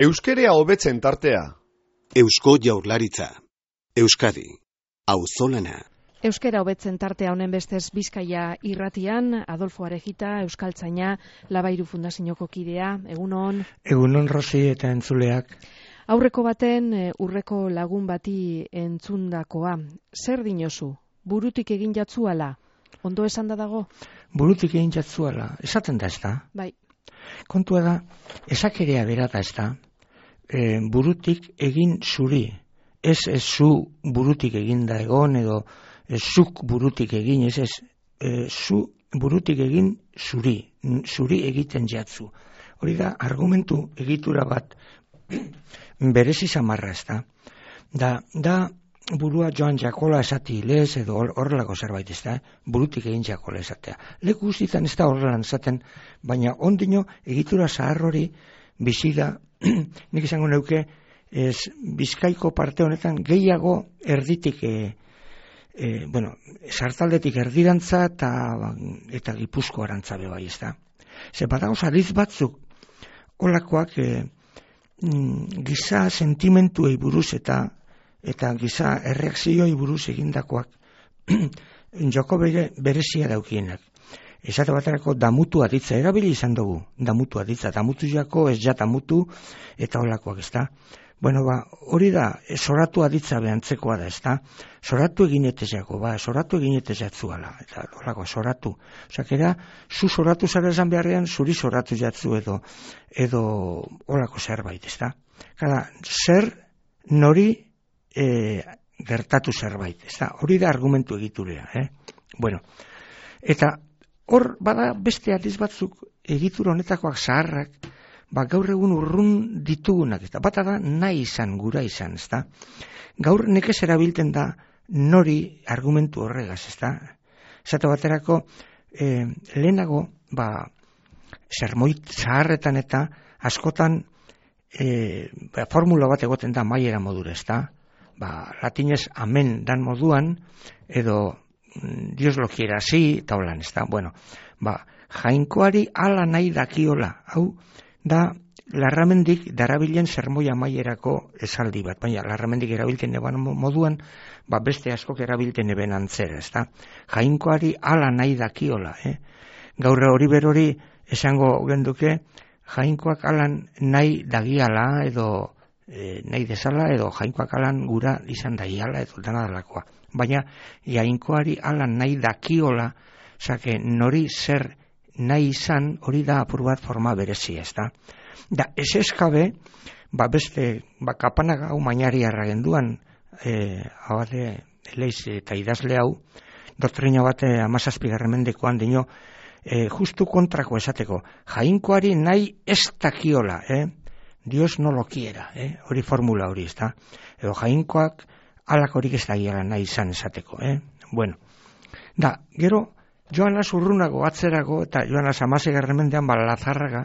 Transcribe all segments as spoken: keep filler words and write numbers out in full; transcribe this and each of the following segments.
Euskerea hobetzen tartea. Eusko Jaurlaritza. Euskadi. Auzolana. Euskera hobetzen tartea honen bestez Bizkaia irratian, Adolfo Arejita, euskaltzaina, Labairu Fundazioko kidea, egunon. Egunon Rosi eta entzuleak. Aurreko baten urreko lagun bati entzundakoa. Zer dinozu? Burutik egin jatzuala? Ondo esan da dago? Burutik egin jatzuala. Esaten da ez da? Bai. Kontua da, esakerea bera da ez da? E, burutik egin zuri. Ez ez zu burutik egin da egon edo ez zuk burutik egin, ez ez e, zu burutik egin zuri. Zuri egiten jatzu. Hori da, argumentu egitura bat berezi samarra ez da. Da, da burua joan jakola esati lez edo horrelako zerbait ez da, burutik egin jakola esatea. Leku guztietan ez da horrelan esaten, baina ondino egitura zahar hori bizi da, nik izango neuke, ez, Bizkaiko parte honetan gehiago erditik, e, e, bueno, sartaldetik erdirantza eta, eta Gipuzko arantza bai ez da. Ze badago adiz batzuk, holakoak e, giza sentimentuei buruz eta eta giza erreakzioi buruz egindakoak joko bere, berezia daukienak. Esate baterako damutu aditza erabili izan dugu, damutu aditza, damutu jako ez ja damutu eta holakoak ez da. Bueno, ba, hori da, soratu aditza behantzekoa da, ez da. Soratu eginetezako, ba, soratu eginetezatzuala, eta holako, soratu. Osak, era, zu soratu zara esan beharrean, zuri soratu jatzu edo, edo holako zerbait, ez da. Kada, zer nori e, gertatu zerbait, ez da. Hori da argumentu egiturea, eh? Bueno, eta hor, bada beste adiz batzuk egitura honetakoak zaharrak, ba, gaur egun urrun ditugunak, eta bata da nahi izan, gura izan, ez da. Gaur nekez erabilten da nori argumentu horregaz, ez da. Esate baterako, e, lehenago, ba, zermoit zaharretan eta askotan e, ba, formula bat egoten da maiera modura, ez da. Ba, latinez amen dan moduan, edo Dios lo quiera así, eta holan, ez da. Bueno, ba, jainkoari ala nahi dakiola, hau, da Larramendik darabilen zermoia maierako esaldi bat, baina Larramendik erabilten eban moduan, ba beste askok erabilten eben antzera, ez da? Jainkoari ala nahi dakiola, eh? Gaur hori berori esango genduke, jainkoak alan nahi dagiala edo e, nahi desala edo jainkoak alan gura izan dagiala edo dana dalakoa. Baina jainkoari alan nahi dakiola, zake nori zer nahi izan hori da apur bat forma berezia, ez da. Da, ez eskabe, ba beste, ba kapanak hau mainari arragenduan, e, abade, leiz eta idazle hau, doktrina bate amazazpigarren mendekoan dino, e, justu kontrako esateko, jainkoari nahi ez dakiola, eh? Dios no lo quiera, eh? Hori formula hori, ez da. Edo jainkoak alak horik ez dagiala nahi izan esateko, eh? Bueno, da, gero, Joanas urrunago atzerago eta Joanas amasegarren mendean ba Lazarraga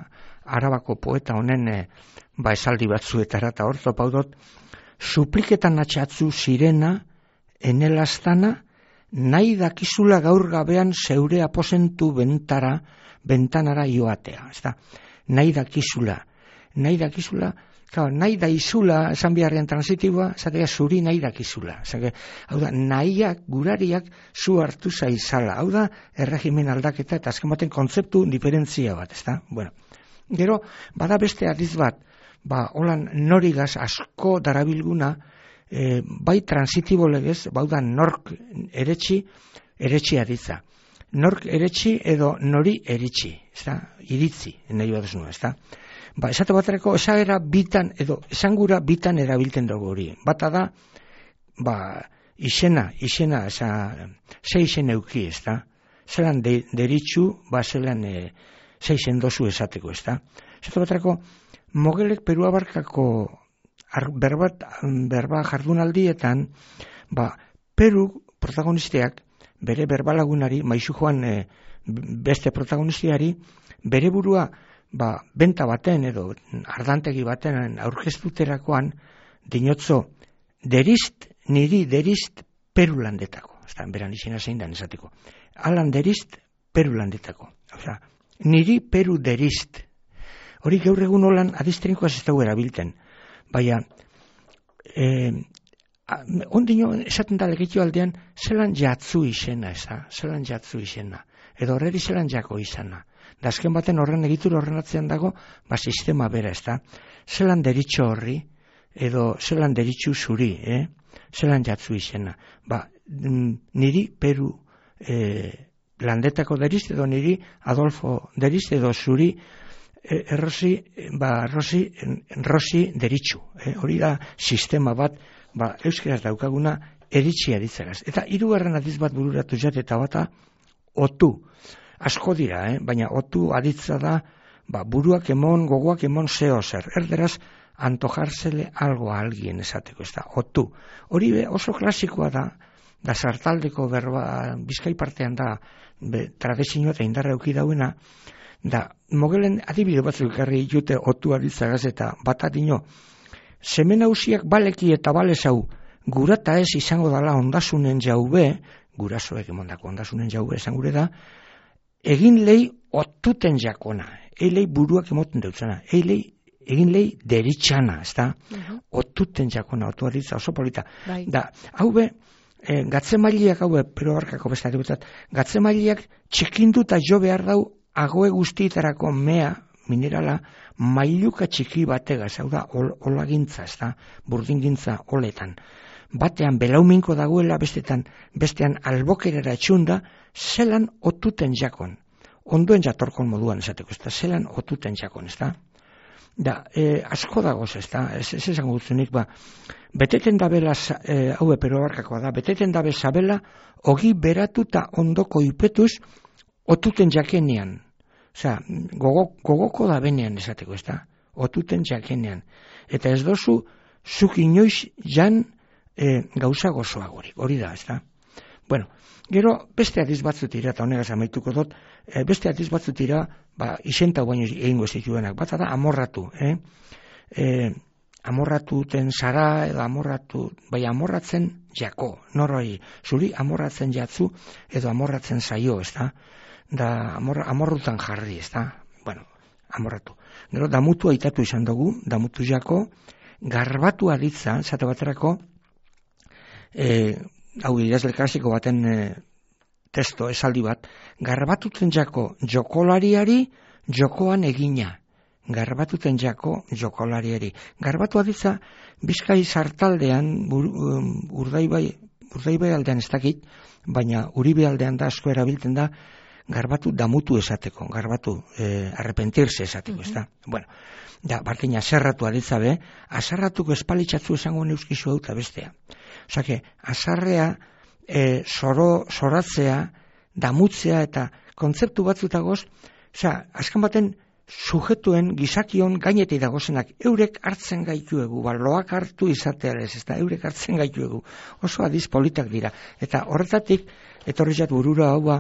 Arabako poeta honen e, ba esaldi batzuetara eta hor topaudot supliketan atxatzu sirena enelastana nahi dakizula gaur gabean zeure aposentu bentara bentanara joatea, ezta? Nahi dakizula, nahi dakizula Claro, nahi daizula, esan biharrean transitiboa, esatea zuri nahi dakizula. Esake, hau da, nahiak, gurariak, zu hartu zaizala. Hau da, erregimen aldaketa eta azken baten kontzeptu diferentzia bat, ezta? Bueno, gero, bada beste adiz bat, ba, holan norigaz asko darabilguna, e, bai transitibo legez, bau da, nork eretxi, eretxi aditza. Nork eretxi edo nori eritxi, ezta? Iritzi, nahi bat esnua, ezta? Ba, esate baterako, esagera bitan, edo esangura bitan erabilten dugu hori. Bata da, ba, izena, izena, esa, ze izen euki, ez da? Zelan de, deritxu, ba, zelan, e, ze izen dozu esateko, ez da? Esate baterako, Mogelek Perua Barkako ar, berbat, berba jardunaldietan, ba, Peru protagonisteak, bere berbalagunari, maizu joan e, beste protagonistiari, bere burua, ba, benta baten edo ardantegi baten aurkeztuterakoan dinotzo derizt, niri derizt Perulandetako. Ez da, beran izena zein da esateko. Alan derizt Perulandetako. Osa, niri Peru derizt. Hori gaur egun holan adiztrinkoaz ez dugu erabilten. Baina, eh, ondino esaten da legitio aldean, zelan jatzu izena, ez da? Zelan jatzu izena. Edo horreri zelan jako izana. Da azken baten horren egitur horren atzean dago, ba sistema bera, ez da? Zelan deritxo horri, edo zelan deritxu zuri, eh? Zelan jatzu izena. Ba, niri Peru eh, landetako deriz, edo niri Adolfo deriz, edo zuri eh, errosi, ba, rosi, rosi deritxu. Eh? Hori da sistema bat, ba, euskeraz daukaguna eritxia ditzagaz. Eta hirugarren adiz bat bururatu jat eta bata otu. Asko dira, eh? Baina otu aditza da ba, buruak emon, gogoak emon zeo zer. Erderaz, antojarzele algo a alguien esateko, ez da, otu. Hori be, oso klasikoa da, da sartaldeko berba, Bizkai partean da, be, tradizioa eta indarra euki dauena, da, mogelen adibide batzuk ekarri jute otu aditzagaz eta bat adino, semen hausiak baleki eta balezau gurata ez izango dala ondasunen jaube, gurasoek emondako ondasunen jaube esan gure da, egin lehi otuten jakona, eilei buruak emoten deutzana, eilei egin lehi deritxana, ez da, uh-huh. Otuten jakona, otu aditza oso polita. Bai. Da, hau be, e, gatzemailiak, hau be, pero barkako besta dutzat, gatzemailiak txikindu eta jo behar dau agoe guztietarako mea, minerala, mailuka txiki bategaz, hau da, ol, olagintza, ez da, burdingintza oletan. Batean belauminko dagoela, bestetan, bestean albokerera etxunda, zelan otuten jakon. Ondoen jatorkon moduan esateko, ez da, zelan otuten jakon, ez da. Da, e, asko dagoz, ez da, ez, ez esan gutzunik, ba, beteten dabela, e, hau epero barkakoa da, beteten dabe zabela, ogi beratuta ondoko ipetuz, otuten jakenean. Osea, gogo, gogoko da benean esateko, ez da, otuten jakenean. Eta ez dozu, zuk inoiz jan e, gauza gozoagorik, hori da, ez da. Bueno, gero beste adiz batzutira, eta honegaz amaituko dut, e, beste adiz batzutira, ba, isentau baino egingo zituenak, bat da amorratu, eh? E, amorratuten zara, edo amorratu, bai amorratzen jako, noroi, zuri amorratzen jatzu, edo amorratzen zaio, ez da, da amor, amorrutan jarri, ez da, bueno, amorratu. Gero, damutu aitatu izan dugu, damutu jako, garbatu aditza, zate baterako, e, hau idazle klasiko baten e, testo esaldi bat, garbatuten jako jokolariari jokoan egina. Garbatuten jako jokolariari. Garbatu aditza, Bizkai sartaldean, bur, um, urdaibai, urdaibai aldean ez dakit, baina uribe aldean da, asko erabiltzen da, garbatu damutu esateko, garbatu eh, arrepentirse esateko, uh-huh. Ez da. Bueno, da, barkina zerratu aditza be, azarratuko espalitxatzu esango neuskizu hau eta bestea. Osake, azarrea, e, zoro, zoratzea, damutzea eta kontzeptu batzutagoz, osea, azkan baten sujetuen gizakion gainetik dagozenak eurek hartzen gaituegu, baloak hartu izatearez, ez da, eurek hartzen gaituegu. Oso adiz politak dira. Eta horretatik, etorri jat burura hau, ba,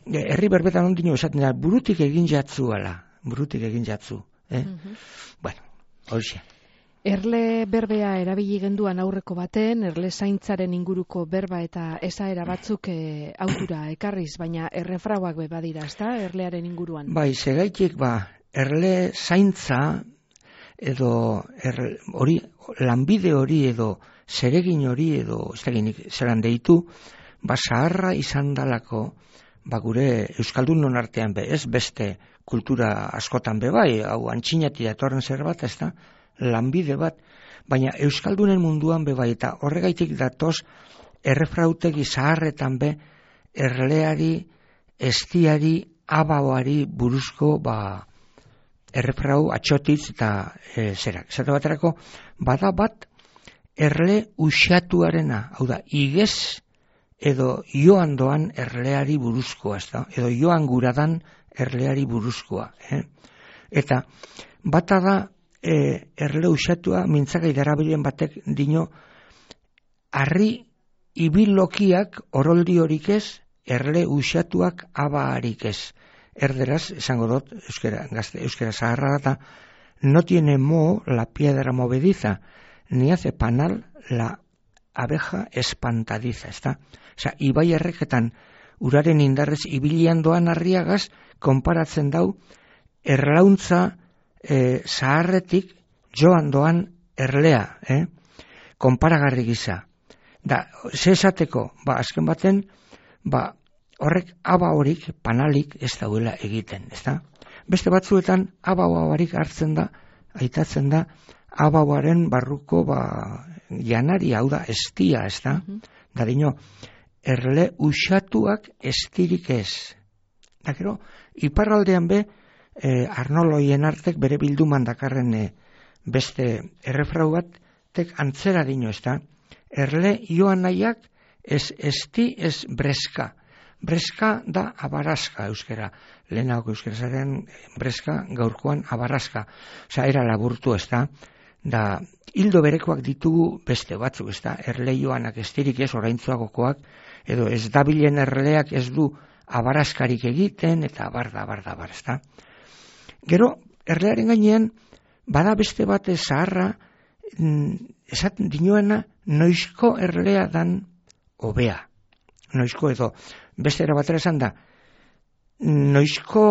herri berbetan ondino esaten da, burutik egin jatzu ala, burutik egin jatzu. Eh? Mm-hmm. Bueno, hori. Erle berbea erabili genduan aurreko baten, erle zaintzaren inguruko berba eta esaera batzuk e, autura ekarriz, baina errefrauak be badira, ezta, erlearen inguruan? Bai, segaitik, ba, erle zaintza edo er, hori, lanbide hori edo zeregin hori edo ez dakinik zelan deitu, ba, zaharra izan dalako, ba, gure Euskaldunon artean be, ez beste kultura askotan be bai, hau antxinati datorren zer bat, ez da, lanbide bat, baina Euskaldunen munduan be bai, eta horregaitik datoz errefrautegi zaharretan be erleari, estiari, abaoari buruzko ba, errefrau atxotitz eta e, zerak. Zata baterako, bada bat erle uxatuarena, hau da, igez edo joan doan erleari buruzkoa, ez da, edo joan guradan erleari buruzkoa. Eh? Eta bata da, E, erle usatua mintzagai darabilen batek dino harri ibilokiak oroldi horik ez, erle usatuak abaharik ez. Erderaz, esango dut, euskera, gazte, euskera zaharra data, no tiene mo la piedra movediza, ni hace panal la abeja espantadiza, ezta? Osa, ibai erreketan uraren indarrez ibilian doan harriagaz, konparatzen dau, erlauntza e, zaharretik joan doan erlea, eh? konparagarri gisa. Da, ze esateko, ba, azken baten, ba, horrek aba horik, panalik ez dauela egiten, ez da? Beste batzuetan, aba barik hartzen da, aitatzen da, aba baren barruko, ba, janari, hau da, estia, ez da? Mm-hmm. Da, dino, erle usatuak estirik ez. Da, gero, iparraldean be, eh, Arnoloien artek bere bilduman dakarren eh, beste errefrau bat, tek antzera dino, ez da? Erle joan nahiak ez esti ez breska. Breska da abaraska euskera. Lehenagoko euskera zaren breska gaurkoan abaraska. Osa, era laburtu, ez da? Da, hildo berekoak ditugu beste batzuk, ez da? Erle joanak estirik ez oraintzuagokoak, edo ez dabilen erleak ez du abaraskarik egiten, eta abar da, abar da, abar, ez da? Gero, erlearen gainean, bada beste bate zaharra, esaten dinoena, noizko erlea dan hobea. Noizko edo, beste era batera esan da, noizko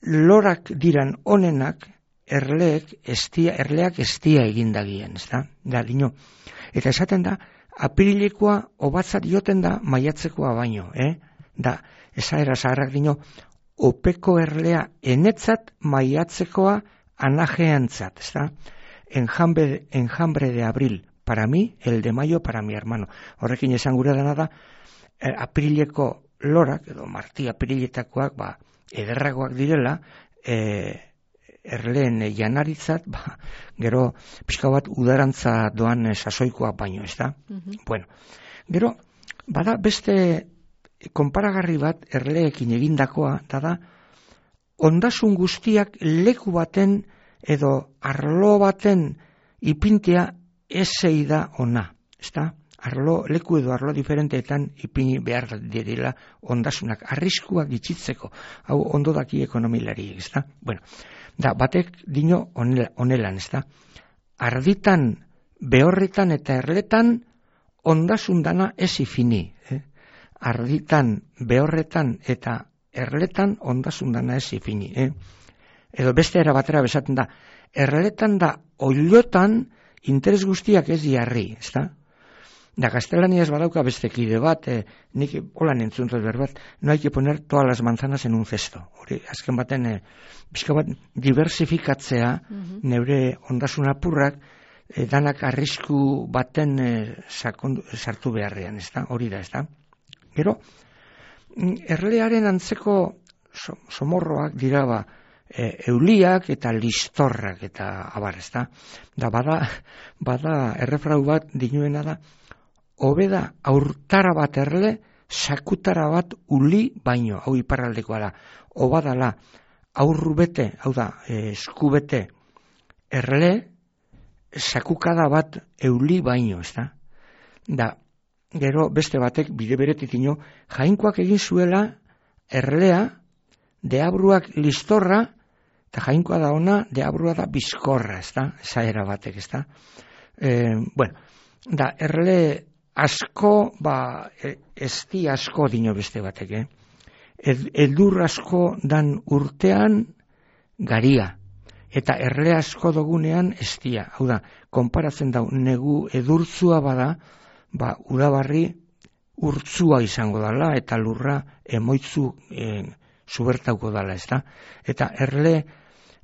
lorak diran onenak, erleek estia, erleak estia egindagien, ez da? Da, dino. Eta esaten da, apirilekoa obatzat joten da maiatzekoa baino, eh? Da, esaera zaharrak dino, opeko erlea enetzat maiatzekoa anajeantzat, ez da? Enjambre, enjambre de abril, para mí, el de mayo, para mi hermano. Horrekin esan gure dena da, eh, aprileko lorak, edo marti apriletakoak, ba, ederragoak direla, eh, erleen eh, janaritzat, ba, gero, pixka bat udarantza doan eh, sasoikoak baino, ez da? Mm-hmm. Bueno, gero, bada beste konparagarri bat erleekin egindakoa, da da, ondasun guztiak leku baten edo arlo baten ipintea esei da ona, ezta? Arlo, leku edo arlo diferenteetan ipini behar direla ondasunak, arriskuak gitzitzeko, hau ondo daki ekonomilari, ezta? Bueno, da, batek dino onelan, ezta? Arditan, behorretan eta erletan ondasun dana ez ifini, eh? Arditan, behorretan eta erletan ondasun dana ez ifini, eh? Edo beste era batera besaten da, erletan da oilotan interes guztiak ez jarri, ez da? Da, gaztelaniaz badauka beste kide bat, eh, nik holan entzuntot berbat, no hay que poner todas las manzanas en un cesto. Hori, azken baten, eh, bizka bat, diversifikatzea, mm-hmm. neure ondasun apurrak, eh, danak arrisku baten eh, sakondu, sartu beharrean, ez da? Hori da, ez da? Gero, erlearen antzeko so, somorroak dira ba, E, euliak eta listorrak eta abar, ez da? Da, bada, bada errefrau bat dinuena da, hobeda aurtara bat erle, sakutara bat uli baino, hau iparraldekoa da, obadala aurrubete, hau da, e, eskubete erle, sakukada bat euli baino, ez da? Da, gero beste batek bide beretik dino, jainkoak egin zuela erlea, deabruak listorra, eta jainkoa da ona, deabrua da bizkorra, ez da, zaera batek, ez da. E, bueno, da, erle asko, ba, esti asko dino beste batek, eh? Ed, edur asko dan urtean garia, eta erle asko dogunean estia, hau da, konparatzen da, negu edurtzua bada, ba, udabarri urtzua izango dala, eta lurra emoitzu eh, zubertauko dala, ez da? Eta erle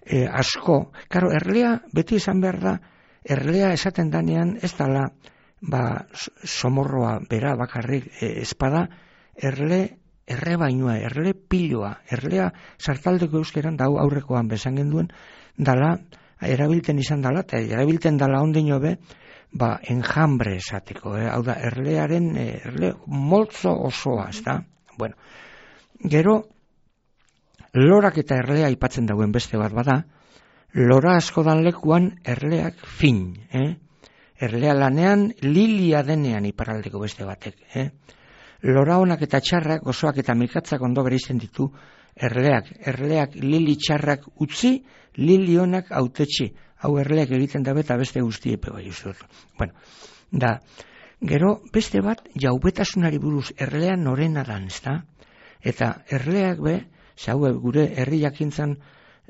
e, asko, karo, erlea beti izan behar da, erlea esaten danean ez dala, ba, somorroa bera bakarrik e, espada, erle erre bainoa, erle piloa, erlea sartaldeko euskeran, da aurrekoan besan genduen, dala, erabilten izan dala, eta erabilten dala ondino be, ba, enjambre esateko, eh? Hau da, erlearen, erle moltzo osoa, ez da? Bueno, gero, lorak eta erlea aipatzen dauen beste bat bada, lora asko dan lekuan erleak fin, eh? Erlea lanean lilia denean iparraldeko beste batek, eh? Lora honak eta txarrak, gozoak eta mikatzak ondo bereizten ditu erleak. Erleak lili txarrak utzi, lili honak autetxi. Hau erleak egiten dabe eta beste guztiepe bai uste dut. Bueno, da, gero beste bat jaubetasunari buruz erlean norena dan, ezta? Eta erleak be, hau gure herri jakintzan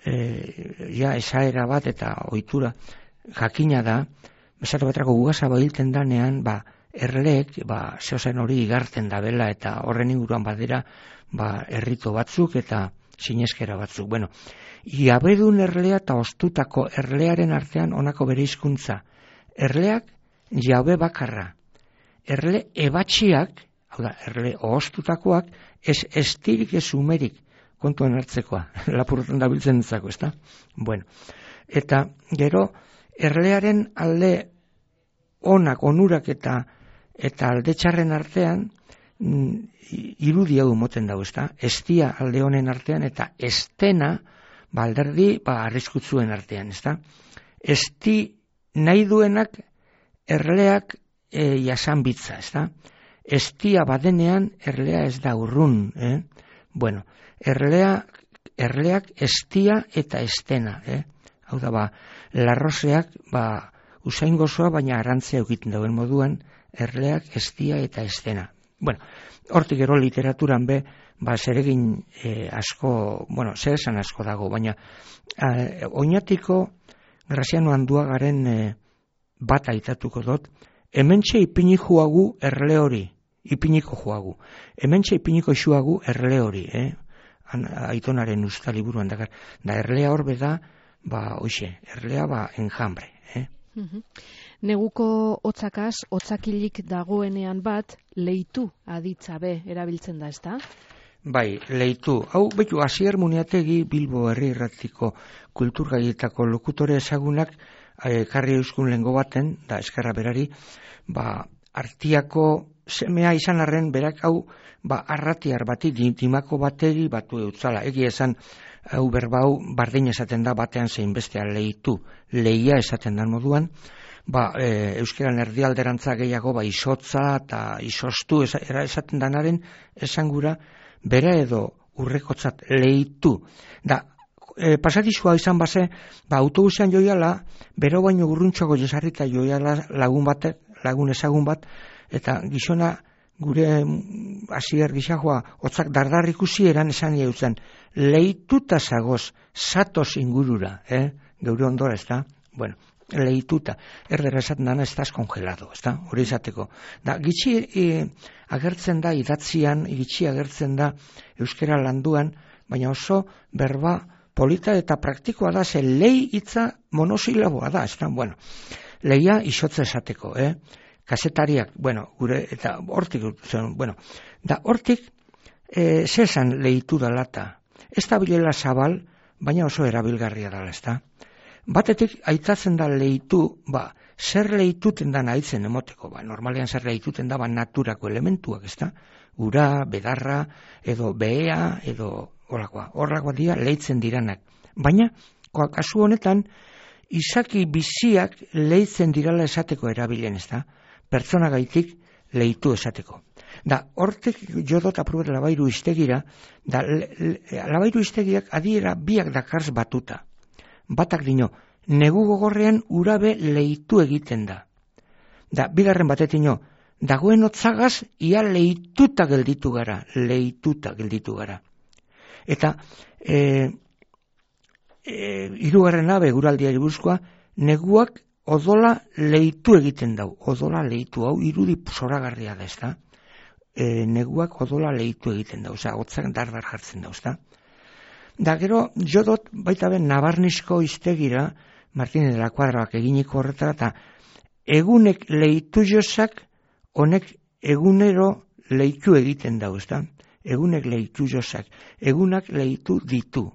e, ja esaera bat eta ohitura jakina da, esate baterako ugasa bahilten danean, ba, erleek, ba, zehozen hori igartzen dabela eta horren inguruan badera, ba, errito batzuk eta sineskera batzuk. Bueno, jabedun erlea eta ostutako erlearen artean honako bere hizkuntza. Erleak jabe bakarra. Erle ebatxiak, hau da, erle ostutakoak, ez estirik ez umerik, kontuan hartzekoa, lapurretan dabiltzen entzako, ezta? Bueno, eta gero, erlearen alde onak, onurak eta eta alde txarren artean irudi hau moten dago, ezta? Estia alde honen artean eta estena ba alderdi ba arriskutsuen artean, ezta? Esti nahi duenak erleak e, jasan bitza, ezta? Estia badenean erlea ez da urrun, eh? Bueno, erlea erleak estia eta estena, eh? Hau da ba, larroseak ba usain gozoa baina arantzea egiten dauen moduan, erleak estia eta estena. Bueno, hortik gero literaturan be, ba, zeregin eh, asko, bueno, zer esan asko dago, baina eh, oinatiko Graziano Anduagaren eh, bat aitatuko dut, hementxe ipini juagu erle hori, ipiniko juagu, hementxe ipiniko juagu erle hori, eh? Aitonaren usta liburuan dakar, da erlea horbe da, ba, oixe, erlea ba, enjambre, eh? Uh-huh. Neguko hotzakaz, hotzakilik dagoenean bat, leitu aditza be erabiltzen da, ezta? Bai, leitu. Hau, betu, Asier Muniategi Bilbo Herri Irratiko kulturgaietako lokutore ezagunak eh, karri euskun lengo baten, da eskerra berari, ba, artiako semea izan arren berak hau, ba, arratiar bati, dimako bateri batu eutzala. Egi esan, hau berbau bardin esaten da batean zein bestean leitu, leia esaten da moduan, ba, e, euskeran erdialderantza gehiago ba, isotza eta isostu esa, esaten danaren esangura bera edo urrekotzat leitu. Da, e, pasatizua izan base, ba, autobusean joiala, bero baino urruntxogo jesarrita joiala lagun batek, lagun ezagun bat, eta gizona gure Asier gizajoa hotzak dardar ikusi eran esan jautzen, leituta zagoz, satos ingurura, eh? Geure ondora, ez da? Bueno, leituta, erdera esaten dana ez da eskongelado, ez da? Hori izateko. Da, gitxi e, agertzen da idatzian, gitxi agertzen da euskera landuan, baina oso berba polita eta praktikoa da, ze lei hitza monosilaboa da, ez da? Bueno, leia isotza esateko, eh? Kasetariak, bueno, gure, eta hortik, bueno, da hortik, e, zesan lehitu da lata. Ez da bilela zabal, baina oso erabilgarria dala, ez da. Batetik, aitatzen da lehitu, ba, zer lehituten da nahitzen emoteko, ba, normalean zer lehituten da, ba, naturako elementuak, ez da. Ura, bedarra, edo behea, edo horrakoa, horrakoa dira lehitzen diranak. Baina, kasu honetan, izaki biziak lehitzen dirala esateko erabilen, ez da. Pertsona gaitik lehitu esateko. Da, hortek jodot aprobet labairu iztegira, da, le, le, labairu iztegiak adiera biak dakarz batuta. Batak dino, negu gogorrean urabe lehitu egiten da. Da, bigarren batetino, dagoen otzagaz, ia lehituta gelditu gara, lehituta gelditu gara. Eta, e, e, hirugarren abe guraldiari buruzkoa, neguak odola lehitu egiten dau, odola lehitu, hau irudi zoragarria da, ez da? E, neguak odola lehitu egiten dau, oza, hotzak dardar jartzen dau, ez da? Da, gero, jodot, baita ben, Nabarnisko iztegira, Martínez de la Cuadraak eginiko horretara, eta egunek lehitu jozak, honek egunero lehitu egiten dau, ez da? Egunek lehitu jozak, egunak lehitu ditu,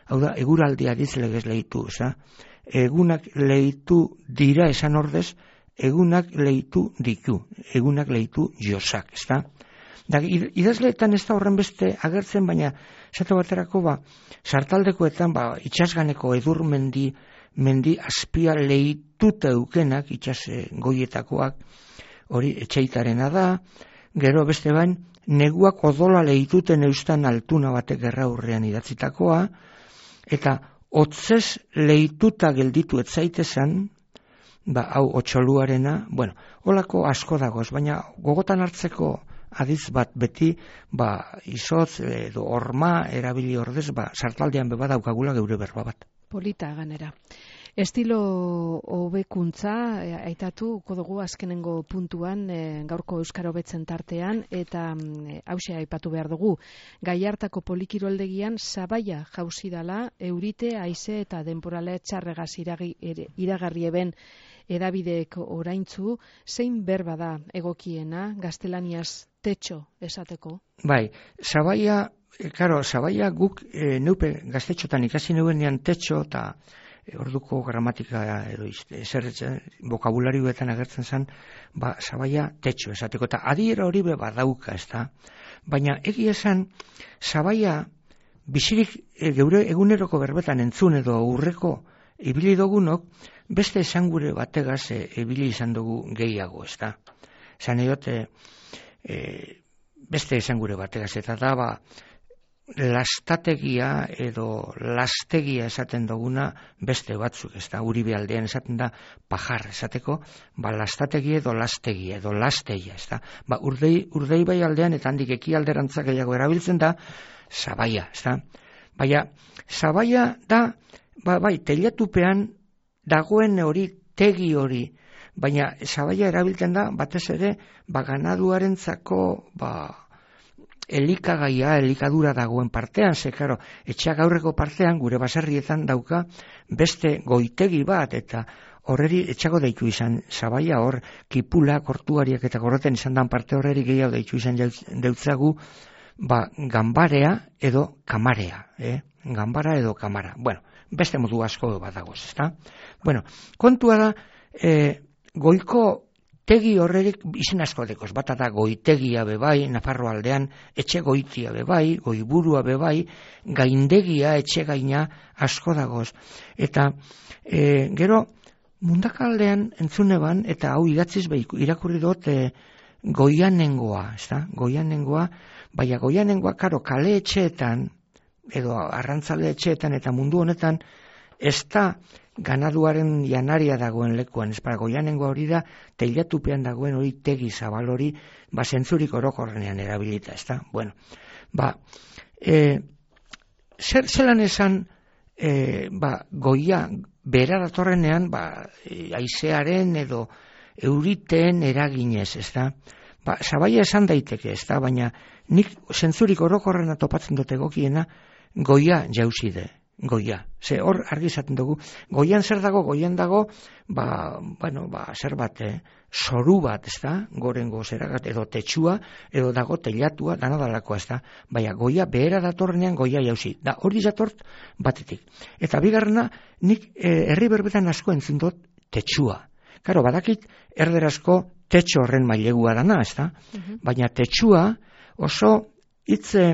hau da, eguraldia dizlegez lehitu, ez da? Egunak lehitu dira esan ordez, egunak lehitu ditu, egunak lehitu josak, ez da? Da, idazleetan ez da horren beste agertzen, baina esate baterako ba, sartaldekoetan ba, itxasganeko edur mendi, mendi azpia lehituta eukenak, itxas goietakoak, hori etxeitarena da, gero beste bain, neguak odola lehituten eustan altuna batek gerra hurrean idatzitakoa, eta hotzez lehituta gelditu etzaitezan, ba, hau otxoluarena, bueno, holako asko dagoz, baina gogotan hartzeko adiz bat beti, ba, izotz edo horma erabili ordez, ba, sartaldean beba daukagula geure berba bat. Polita ganera. Estilo hobekuntza aitatuko dugu azkenengo puntuan e, gaurko Euskara hobetzen tartean eta e, hauxe aipatu behar dugu. Gaiartako polikiroldegian sabaia jauzi dala eurite, haize eta denporale txarregaz iragi, iragarri eben edabideek oraintzu, zein berba da egokiena gaztelaniaz tetxo esateko? Bai, sabaia, e, karo, sabaia guk e, neupe gaztetxotan ikasi neuenean tetxo eta orduko gramatika edo ezer bokabularioetan agertzen zen, ba, sabaia tetxo esateko, eta adiera hori be badauka, ez da? Baina egia esan, sabaia bizirik e, geure eguneroko berbetan entzun edo urreko ibili dogunok, beste esangure bategaz e, ibili izan dugu gehiago, ez da? Zan edote, e, beste esangure bategaz, eta da, ba, lastategia edo lastegia esaten duguna beste batzuk, ez da, Uribe aldean esaten da pajar esateko, ba, lastategia edo lastegia edo lastegia, ez da, ba, urdei, urdei bai aldean eta handik eki alderantzak gehiago erabiltzen da sabaia, ez da, baina sabaia da, ba, bai, teilatupean dagoen hori, tegi hori, baina sabaia erabiltzen da, batez ere, ba, ganaduarentzako, ba, elikagaia, elikadura dagoen partean, ze, karo, etxeak aurreko partean, gure baserrietan dauka beste goitegi bat, eta horreri etxako deitu izan sabaia, hor kipula, kortuariak eta korreten izan dan parte horreri gehiago deitu izan deutzagu, ba, gambarea edo kamarea, eh? Gambara edo kamara. Bueno, beste modu asko bat dagoz, ezta? Bueno, kontua da, eh, goiko tegi horrerik izen asko dekoz, bata da goitegia bebai, Nafarro aldean, etxe goitia bebai, goiburua bebai, gaindegia, etxe gaina asko dagoz. Eta e, gero, mundakaldean entzuneban, eta hau idatziz behi, irakurri dut e, goianengoa, ez da? Goianengoa, baina goianengoa, karo, kale etxeetan, edo arrantzale etxeetan, eta mundu honetan, ez da ganaduaren janaria dagoen lekuan, ez para goianengoa hori da, teilatupean dagoen hori tegi zabal hori, ba, zentzurik orokorrenean erabilita, ez da? Bueno, ba, e, zer zelan esan, e, ba, goia, bera datorrenean, ba, e, haizearen edo euriteen eraginez, ez da? Ba, sabaia esan daiteke, ez da? Baina nik zentzurik orokorrena topatzen dut egokiena, goia jauzide. Goia, ze hor argi izaten dugu, goian zer dago, goian dago, ba, bueno, ba, zer bat, eh? Soru bat, ez da, gorengo zeragat, edo tetxua, edo dago teilatua, dana dalakoa, ez da, baina goia behera datorrenean goia jauzi, da hori zatort batetik. Eta bigarrena, nik eh, herri berbetan asko entzun dut tetxua. Karo, badakit erderazko tetxo horren mailegua dana, ez da, uh-huh. Baina tetxua oso hitze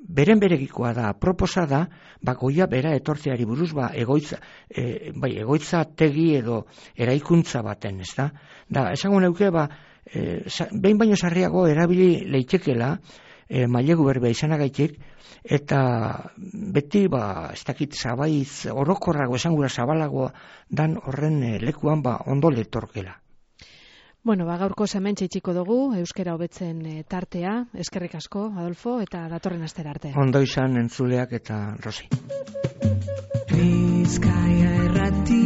beren beregikoa da, proposa da, ba, goia bera etortzeari buruz, ba, egoitza, e, bai, egoitza tegi edo eraikuntza baten, ez da? Da, esango neuke, ba, e, behin baino sarriago erabili leitekela, e, mailegu berbea izanagaitik, eta beti, ba, ez dakit zabaiz, orokorrago, esangura zabalagoa, dan horren e, lekuan, ba, ondo letorkela. Bueno, ba, gaurko hementxe itxiko dugu, euskara hobetzen e, tartea, eskerrik asko, Adolfo, eta datorren astera arte. Ondo izan entzuleak eta Rosi. Bizkaia errati